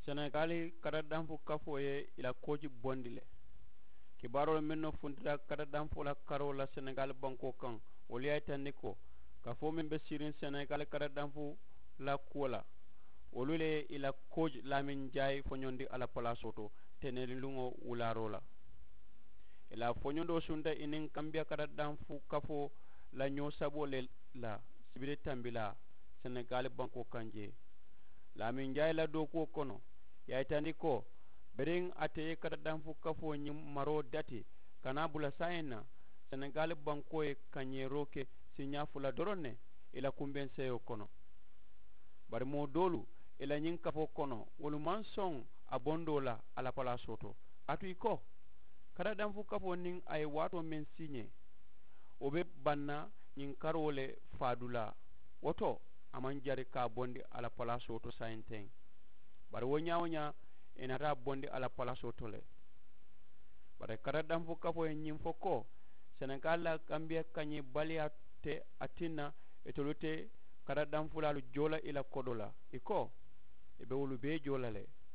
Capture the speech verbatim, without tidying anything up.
Senegaali katadanfu kafoo ye i la kooji bondi le. Kibaaroolu mennu funtita katadanfu la karoo la senegaali bankoo kaŋ, wolu ye a yitandi ko kafoo meŋ be siiriŋ senegaali katadanfu la kuwo la, wolu le ye i la kooji laamin jaayi foñondi a la palaasoo to teneliluŋo wulaaroo la. I la foñondoo sunta i niŋ kambiya katadanfu kafoo la ñoo saboo le la sibiri tambilaa senegaali bankoo kaŋ jee. Laamin jaayi la dookuwo kono, i ye a yitandi ko biriŋ ate ye katadanfu kafoo ñiŋ maroo dati ka naa bula saayiŋ na, senegaali bankoo ye kañeeroo ke siiñaa fula doroŋ ne i la kumbeŋ seeyoo kono. Bari moo doolu i la ñiŋ kafoo kono, wolu maŋ soŋ a bondoo la a la palaasoo to. Kaatu i ko katadanfu kafoo niŋ a ye waatoo meŋ siiñee, wo be baŋ na ñiŋ karoo le faadulaa. Wo to, a maŋ jari ka a bondi a la palaasoo to saayiŋ teŋ. Bari wo ñaa-wo-ñaa, i naata a bondi a la palaasoo to le. Bari katadanfu kafoo ye ñiŋ fo ko senegaali la kambiya kañee baliyaa te a tinna itolu te katadanfulaalu joo la i la kodoo la. I ko i be wolu bee joo la le.